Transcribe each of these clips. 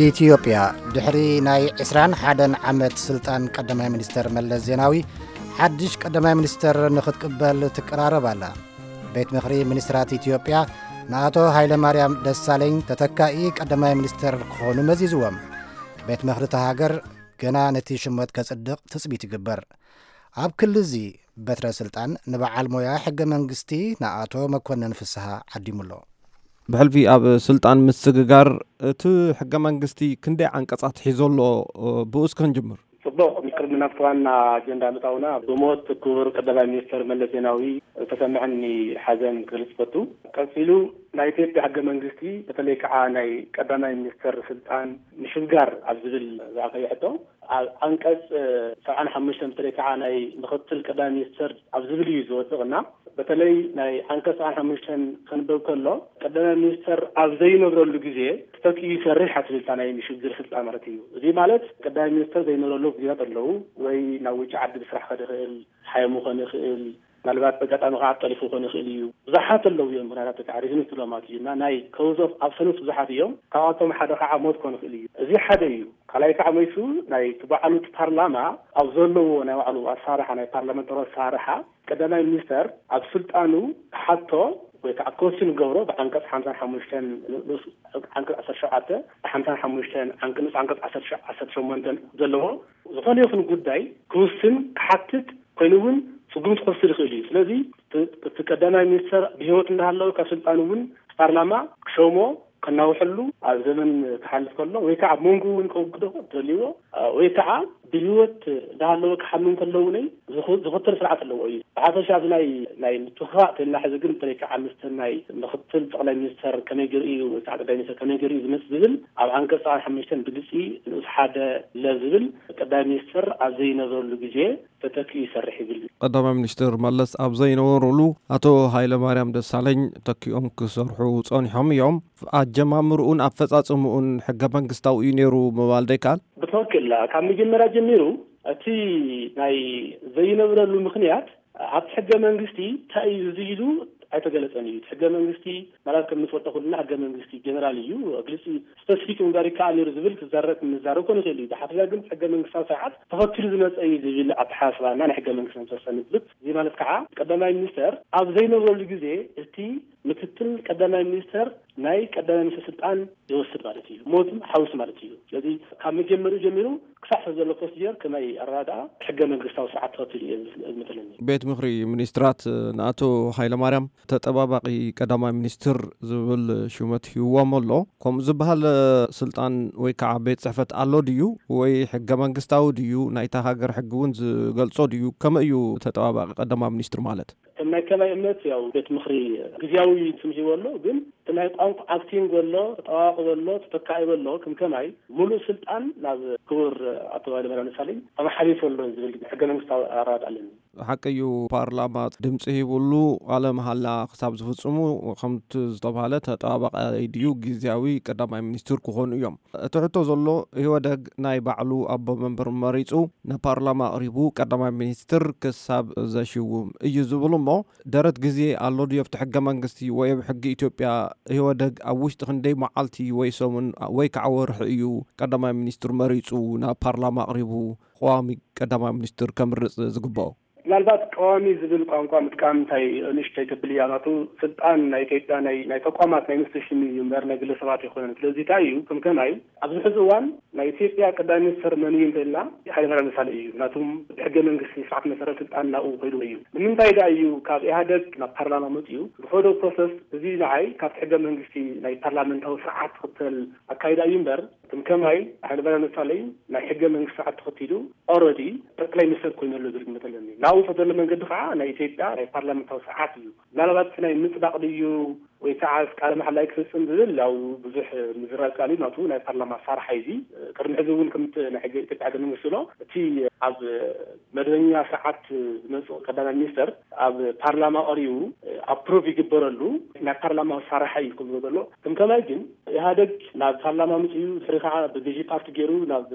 ኢትዮጵያ ድሕሪ ናይ ዕስራን ሓደን ዓመት ስልጣን ቀዳማይ ሚኒስተር መለስ ዜናዊ፣ ሓድሽ ቀዳማይ ሚኒስተር ንኽትቅበል ትቀራረብ ኣላ። ቤት ምኽሪ ሚኒስትራት ኢትዮጵያ ንኣቶ ሃይለማርያም ደሳለኝ ተተካኢ ቀዳማይ ሚኒስተር ክኾኑ መዚዝዎም። ቤት ምኽሪ እታ ሃገር ገና ነቲ ሽመት ከጽድቕ ትጽቢት ይግበር። ኣብ ክሊ እዚ በትረ ስልጣን ንበዓል ሞያ ሕገ መንግስቲ ንኣቶ መኮንን ፍስሃ ዓዲሙሎ። ብሕልፊ ኣብ ስልጣን ምስግጋር እቲ ሕገ መንግስቲ ክንደይ ዓንቀጻት ሒዞ ኣሎ? ብኡ እስከ ንጅምር። ጽቡቕ፣ ቅድሚ ናብቲ ዋና ኣጀንዳ ምእታውና፣ ብሞት ክቡር ቀዳማይ ሚኒስተር መለስ ዜናዊ ዝተሰምዐኒ ሓዘን ክገልጽ እፈቱ። ቀጺሉ፣ ናይ ኢትዮጵያ ሕገ መንግስቲ፣ በተለይ ከዓ ናይ ቀዳማይ ሚኒስተር ስልጣን ምሽግጋር ኣብ ዝብል ዝኣኸየ ሕቶ፣ ኣብ ዓንቀጽ ሰብዓን ሓሙሽተን በተለይ ከዓ ናይ ምኽትል ቀዳማይ ሚኒስተር ኣብ ዝብል እዩ ዝወድቕ እና፣ በተለይ ናይ ዓንቀጽ ሰብዓን ሓሙሽተን ከንበብ ከሎ፣ ቀዳማይ ሚኒስተር ኣብ ዘይነብረሉ ግዜ ተተኪኡ ይሰርሕ እያ ትብል እታ ናይ ምሽግር ስልጣን ማለት እዩ። እዚ ማለት ቀዳማይ ሚኒስተር ዘይነብረሉ ግዜታት ኣለዉ፣ ወይ ናብ ውጭ ዓዲ ብስራሕ ክኸድ ይኽእል፣ ሓይሙ ክኾን ይኽእል፣ ምናልባት በጋጣሚ ከዓ ጠሊፉ ክኾን ይኽእል እዩ። ብዙሓት ኣለዉ እዮም ምኽንያታት ከዓ ሪዝን ትብሎም ማለት እዩ። እና ናይ ኮዝ ኦፍ ኣብሰንስ ብዙሓት እዮም። ካብኣቶም ሓደ ከዓ ሞት ክኾን ይኽእል እዩ። እዚ ሓደ እዩ። ካልኣይ ከዓ መይሱ ናይ እቲ ባዕሉ እቲ ፓርላማ ኣብ ዘለዎ ናይ ባዕሉ ኣሰራርሓ፣ ናይ ፓርላመንታሪ ኣሰራርሓ ቀዳማይ ሚኒስተር ኣብ ስልጣኑ ክሓቶ ወይ ከዓ ኮስችን ክገብሮ ብዓንቀጽ ሓምሳን ሓሙሽተን ንኡስ ዓንቀጽ ዓሰርተ ሸውዓተ፣ ሓምሳን ሓሙሽተን ዓንቀ-፣ ንኡስ ዓንቀጽ ዓሰርተ ሸውዓተ፣ ዓሰርተ ሸሞንተ ዘለዎ ዝኾነ ይኹን ጉዳይ ክውስን ክሓትት ኮይኑ እውን ስጉምቲ ክወስድ ይኽእል እዩ። ስለዚ እቲ፣ እቲ ቀዳማይ ሚኒስተር ብህይወት እንዳሃለወ ካብ ስልጣኑ እውን ፓርላማ ክሸሞ ከናውሐሉ ኣብ ዘመን ክሓልፍ ከሎ ወይ ከዓ ኣብ መንጎ እውን ከውግዶ እንተልይዎ ወይ ከዓ ብህይወት እንዳሃለወ ክሓሉ እንከለዉ ናይ ዝኽ-፣ ዝኽተል ስርዓት ኣለዎ እዩ። ብሓፈሻ ኣብዚ ናይ፣ ናይ ምትኽኻእ ተልና ሕዚ ግን በተለይ ከዓ ምስቲ ናይ ምኽትል ጠቕላይ ሚኒስተር ከመይ ገይሩ እዩ ወይ ከዓ ቀዳማይ ሚኒስተር ከመይ ገይሩ እዩ ዝመጽእ ዝብል ኣብ ዓንቀጽ ሰብዓን ሓሙሽተን ብግልጺ ንኡስ ሓደ ለ ዝብል ቀዳማይ ሚኒስተር ኣብ ዘይነበረሉ ግዜ ተተኪኡ ይሰርሕ ይብል። ቀዳማይ ሚኒስትር መለስ ኣብ ዘይነበሩሉ ኣቶ ሃይለማርያም ደሳለኝ ተኪኦም ክሰርሑ ጸኒሖም እዮም። ኣጀማምርኡን ኣፈጻጽምኡን ሕገ መንግስታዊ እዩ ነይሩ ምባል ዶ ይከኣል? ብትኽክል፣ ካብ መጀመርያ ጀሚሩ እቲ ናይ ዘይነብረሉ ምኽንያት ኣብቲ ሕገ መንግስቲ እንታይ እዩ እዚ ኢሉ ኣይተገለጸን እዩ። እቲ ሕገ መንግስቲ ማለት ከም ንፈልጦ ኩልና ሕገ መንግስቲ ጀነራል እዩ፣ ግልጺ ስፐሲፊክ ምግባር ይከኣል ነይሩ ዝብል ክዛረብ ክንዛረብ ኮነ ይኽእል እዩ። ብሓፈሻ ግን ሕገ መንግስታዊ ስርዓት ተኸቲሉ ዝመጸ እዩ ዝብል ኣተሓሳስባና ናይ ሕገ መንግስቲ መሰሰኒ ዝብል። እዚ ማለት ከዓ ቀዳማይ ሚኒስተር ኣብ ዘይነበረሉ ግዜ እቲ ምክትል ቀዳማይ ሚኒስተር ናይ ቀዳማይ ሚኒስተር ስልጣን ይወስድ ማለት እዩ። ሞት ሓውስ ማለት እዩ። ስለዚ ካብ መጀመሪኡ ጀሚሩ ክሳዕ ዘሎ ፕሮሲጀር ከመይ ኣረዳድኣ ሕገ መንግስታዊ ስርዓት ተኸቲሉ እዩ ዝመስለኒ። ቤት ምኽሪ ሚኒስትራት ንኣቶ ሃይለማርያም ተጠባባቒ ቀዳማይ ሚኒስትር ዝብል ሹመት ሂብዎም ኣሎ። ከምኡ ዝበሃል ስልጣን ወይ ከዓ ቤት ጽሕፈት ኣሎ ድዩ? ወይ ሕገ መንግስታዊ ድዩ? ናይታ ሃገር ሕጊ እውን ዝገልጾ ድዩ? ከመይ እዩ ተጠባባቒ ቀዳማይ ሚኒስትር ማለት? ከም ናይ ከማይ እምነት ያው ቤት ምኽሪ ግዝያዊ ስም ሂቡ ኣሎ፣ ግን እቲ ናይ ቋንቋ ኣክቲንግ ኣሎ፣ ተጠባባቒ ኣሎ፣ ተተካኢ ኣሎ፣ ከም ከማይ ሙሉእ ስልጣን ናብ ክቡር ኣቶ ሃይለማርያም ደሳለኝ ተመሓላሊፉ ኣሎ ዝብል ሕገ መንግስታዊ ኣረዳድኣ ኣለኒ። ሓቂ እዩ፣ ፓርላማ ድምፂ ሂቡሉ ቃለ መሃላ ክሳብ ዝፍፅሙ ከምቲ ዝተባሃለ ተጠባባቒ ድዩ ግዝያዊ ቀዳማይ ሚኒስትር ክኾኑ እዮም። እቲ ሕቶ ዘሎ ኢህወደግ ናይ ባዕሉ ኣቦ መንበር መሪፁ ንፓርላማ ኣቕሪቡ ቀዳማይ ሚኒስትር ክሳብ ዘሽውም እዩ ዝብል እሞ ደረት ግዜ ኣሎ ድዩ ኣብቲ ሕገ መንግስቲ ወይ ኣብ ሕጊ ኢትዮጵያ ኢህወደግ ኣብ ውሽጢ ክንደይ መዓልቲ ወይ ሰሙን ወይ ከዓ ወርሒ እዩ ቀዳማይ ሚኒስትር መሪፁ ናብ ፓርላማ ኣቕሪቡ ቀዋሚ ቀዳማይ ሚኒስትር ከምርፅ ዝግብኦ? ምናልባት ቀዋሚ ዝብል ቋንቋ ምጥቃም እንታይ ንእሽተይ ተብል እያ። ናቱ ስልጣን ናይ ኢትዮጵያ ናይ፣ ናይ ተቋማት ናይ ኢንስቲቱሽን እዩ እምበር ናይ ግለሰባት ኣይኮነን። ስለዚ እንታይ እዩ ከም ከማይ ኣብዚ ሕዚ እዋን ናይ ኢትዮጵያ ቀዳማይ ሚኒስተር መን እዩ እንተኢልና ሃይለማርያም ደሳለኝ እዩ። ምክንያቱም ብሕገ መንግስቲ ስርዓት መሰረት ስልጣን ናብኡ ከይዱ እዩ። ንምንታይ ደኣ እዩ ካብ ኢህኣደግ ናብ ፓርላማ መፂኡ ዝኸዶ ፕሮሰስ? እዚ ንዓይ ካብቲ ሕገ መንግስቲ ናይ ፓርላመንታዊ ስርዓት ትኽተል ኣካይዳ እዩ እምበር ከም ከማይ ሃይለማርያም ደሳለኝ ናይ ሕገ መንግስቲ ስርዓት ተኸቲሉ ኦልሬዲ ጠቅላይ ሚኒስተር ኮይኑ ኣሎ ዝብል ግምት ኣለኒ። ናብኡ ተዘሎ መንገዲ ከዓ ናይ ኢትዮጵያ ናይ ፓርላመንታዊ ስርዓት እዩ። ምናልባት እቲ ናይ ምፅዳቕ ድዩ ወይ ከዓ ቃለ መሓላይ ክፍፅም ዝብል ያው ብዙሕ ምዝራብ ቃል እዩ። ናቱ ናይ ፓርላማ ኣሰራርሓ እዩ። እዚ ቅድሚ ሕዚ እውን ከምቲ ናይ ሕገ ኢትዮጵያ ሕገ መንግስቲ ዝብሎ እቲ ኣብ መደበኛ ስርዓት ዝመፅእ ቀዳማይ ሚኒስተር ኣብ ፓርላማ ቀሪቡ ኣፕሩቭ ይግበረሉ ናይ ፓርላማ መሳርሒ እዩ ክብሎ ዘሎ። ከም ከማይ ግን ኢህኣደግ ናብ ፓርላማ ምፅኡ ድሕሪ ከዓ ብገዢ ፓርቲ ገይሩ ናብ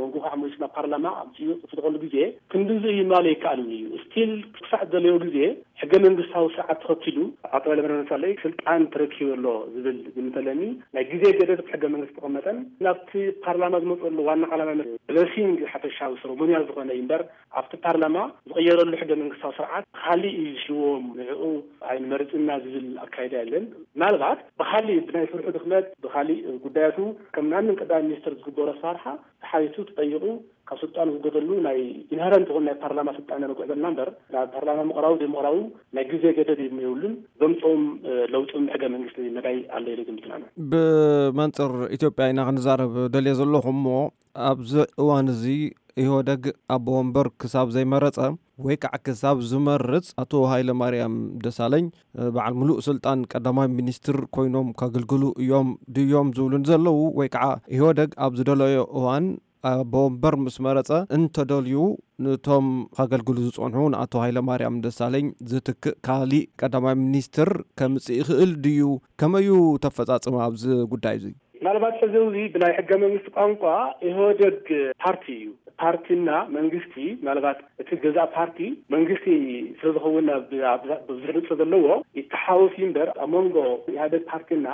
መንጎ ከዓ መሊሱ ናብ ፓርላማ ምፅኡ ዝፍትቀሉ ግዜ ክንድዚ እዩ ማለ ይከኣልን እዩ። ስቲል ክሳዕ ዘለዮ ግዜ ሕገ መንግስታዊ ስርዓት ተኸቲሉ ኣቶ ኃይለማርያም ደሳለኝ ስልጣን ተረኪቡ ኣሎ ዝብል ዝምተለኒ ናይ ግዜ ገደብ ሕገ መንግስቲ ተቐመጠን ናብቲ ፓርላማ ዝመፅሉ ዋና ዓላማ ብለሲንግ ሓፈሻዊ ሰረሞኒያል ዝኾነ እዩ እምበር ኣብቲ ፓርላማ ዝቕየረሉ ሕገ መንግስታዊ ስርዓት ካሊእ እዩ ዝሽዎም ንዕኡ ኣይንመርፅና ዝብል ኣካይዳ የለን። ምናልባት ብካሊእ ብናይ ስርሑ ድኽመት ብካሊእ ጉዳያቱ ከም ናምን ቀዳማይ ሚኒስትር ዝግበሮ ኣሰራርሓ ተሓቲቱ ተጠይቑ ካብ ስልጣኑ ዝገደሉ ናይ ኢንሄረንት ይኹን ናይ ፓርላማ ስልጣን ነረግዕ ዘለና እምበር ናብ ፓርላማ ምቕራቡ ዘይምቕራቡ ናይ ግዜ ገደብ የብሉን። ዘምፅኦም ለውጥም ሕገ መንግስቲ መዳይ ኣሎ ኢለ ግምትና። ብመንፅር ኢትዮጵያ ኢና ክንዛረብ ደልየ ዘለኹ እሞ ኣብዚ እዋን እዚ ኢህወደግ ኣቦ ወንበር ክሳብ ዘይመረፀ ወይ ከዓ ክሳብ ዝመርፅ ኣቶ ሃይለ ማርያም ደሳለኝ በዓል ሙሉእ ስልጣን ቀዳማይ ሚኒስትር ኮይኖም ከገልግሉ እዮም ድዮም ዝብሉ ዘለዉ ወይ ከዓ ኢህወደግ ኣብ ዝደለዮ እዋን ኣቦ ወንበር ምስ መረፀ እንተደልዩ ንቶም ከገልግሉ ዝፀንሑ ንኣቶ ሃይለ ማርያም ደሳለኝ ዝትክእ ካሊእ ቀዳማይ ሚኒስትር ከምፅእ ይኽእል ድዩ? ከመዩ ተፈፃፅማ ኣብዚ ጉዳይ እዚ? ምናልባት ሕዚ እዚ ብናይ ሕገ መንግስቲ ቋንቋ ኢህወደግ ፓርቲ እዩ። ፓርቲና መንግስቲ ምናልባት እቲ ገዛእ ፓርቲ መንግስቲ ስለዝኸውን ብዙሕ ድምፂ ዘለዎ ይተሓወስ እዩ እምበር ኣብ መንጎ ኢህወደግ ፓርቲና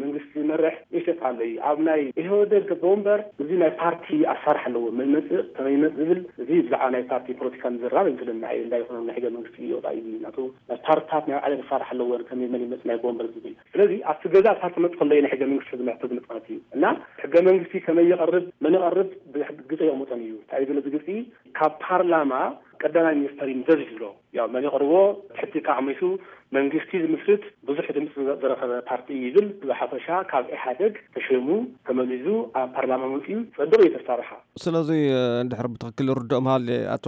መንግስቲ ዝመርሕ ይሸጥ ኣሎ እዩ። ኣብ ናይ ኢህወደግ ኣቦ ወንበር እዚ ናይ ፓርቲ ኣሳርሕ ኣለዎ መይመፅእ ከመይመፅ ዝብል እዚ ብዛዕባ ናይ ፓርቲ ፖለቲካ ምዝራብ ይመስለኒ። ኣይ እንዳይኮነ ናይ ሕገ መንግስቲ ይወፃ እዩ ናቱ ናይ ፓርትታት ናይ ባዕለን ክሳርሕ ኣለወን ከመይ መን ይመፅእ ናይ ኣቦ ወንበር ዝብል ስለዚ ኣብቲ ገዛእ ፓርቲ መፅ ከሎ ናይ ሕገ መንግስቲ ዝምልከት እዩ እና ሕገ መንግስቲ ከመይ ይቐርብ መን ይቐርብ ብግፀ የቕምጦን እዩ እንታይ ዝብለ ዝግፂ ካብ ፓርላማ ቀዳማይ ሚኒስተር እዩ ምዘዝ ዝብሎ ያው መን ይቐርቦ ትሕቲ ከዓ መይሱ መንግስቲ ዝምስርት ብዙሕ ድምፂ ዝረኸበ ፓርቲ ይብል ብሓፈሻ ካብ ኢሓደግ ተሸሙ ተመዚዙ ኣብ ፓርላማ መፅኡ ፀድቕ እዩ ተሳርሓ። ስለዚ እንድሕር ብትኽክል ርድኦም ሃልየ ኣቶ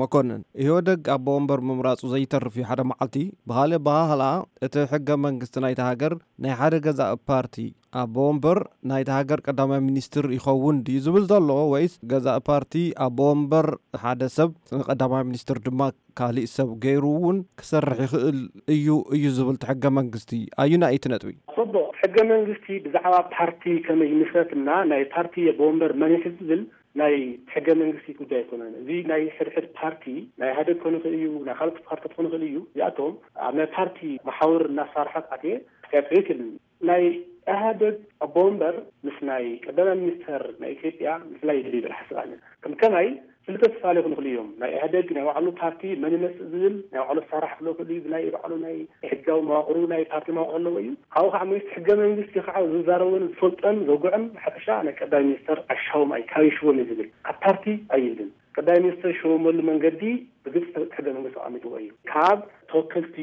መኮንን ኢህወደግ ኣቦ ወንበር ምምራፁ ዘይተርፍ እዩ ሓደ መዓልቲ ብኻልእ ኣበሃህላ እቲ ሕገ መንግስቲ ናይታ ሃገር ናይ ሓደ ገዛእ ፓርቲ ኣቦ ወንበር ናይታ ሃገር ቀዳማይ ሚኒስትር ይኸውን ድዩ ዝብል ዘሎ ወይስ ገዛእ ፓርቲ ኣቦ ወንበር ሓደ ሰብ ቀዳማይ ሚኒስትር ድማ ካሊእ ሰብ ገይሩ እውን ክሰርሕ ይኽእል እዩ እዩ ዝብል እቲ ሕገ መንግስቲ ኣዩናይ እቲ ነጥቢ? ፅቡቕ ሕገ መንግስቲ ብዛዕባ ፓርቲ ከመይ ይምስረት እና ናይ ፓርቲ ኣቦ ወንበር መን ይሕዝ ዝብል ናይ ሕገ መንግስቲ ጉዳይ ኣይኮነን። እዚ ናይ ሕድሕድ ፓርቲ ናይ ኢህኣደግ ክኾን ይኽእል እዩ፣ ናይ ካልኦት ፓርትታት ክኾን ይኽእል እዩ። እዚኣቶም ኣብ ናይ ፓርቲ መሓውር እናሳርሐት ኣትየ ክሳብ ዘይክእል ናይ ኢህኣደግ ኣቦ ወንበር ምስ ናይ ቀዳማይ ሚኒስተር ናይ ኢትዮጵያ ምፍላይ ይደሊ ይብል ሓስብ ኣነ ከም ከማይ ክልተ ዝተፈላለዩ ክኾኑ ይኽእሉ እዮም። ናይ ኢህኣደግ ናይ ባዕሉ ፓርቲ መን ይመፅእ ዝብል ናይ ባዕሉ ኣሰራርሓ ክህልዎ ይኽእል እዩ። ብናይ ባዕሉ ናይ ሕጋዊ መዋቕሩ ናይ ፓርቲ መዋቕር ኣለዎ እዩ። ካብኡ ከዓ መንግስቲ ሕገ መንግስቲ ከዓ ዝዛረቦን ዝፈልጦን ዘጉዕን ሓፈሻ ናይ ቀዳማይ ሚኒስተር ኣሻዎም ኣይ ካብ ይሽዎም እዩ ዝብል ካብ ፓርቲ ኣይብልን። ቀዳማይ ሚኒስተር ዝሽወመሉ መንገዲ ብግልፂ ሕገ መንግስቲ ኣቐሚጥዎ እዩ። ካብ ተወከልቲ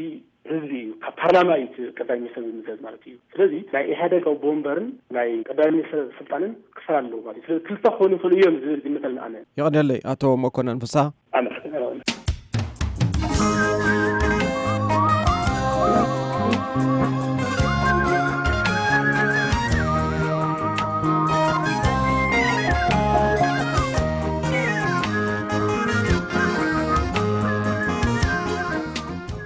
ህዝቢ እዩ ካብ ፓርላማ እዩ እቲ ቀዳማይ ሚኒስተር ዝምዘዝ ማለት እዩ። ስለዚ ናይ ኢህኣደግ ኣቦ ወንበርን ናይ ቀዳማይ ሚኒስተር ስልጣንን ክፈል ኣለዎ ማለት እዩ። ስለዚ ክልተ ክኾኑ ይኽእሉ እዮም ዝብል ግምት ኣለኒ ኣነ። የቐንየለይ ኣቶ መኮነን ፍስሃ።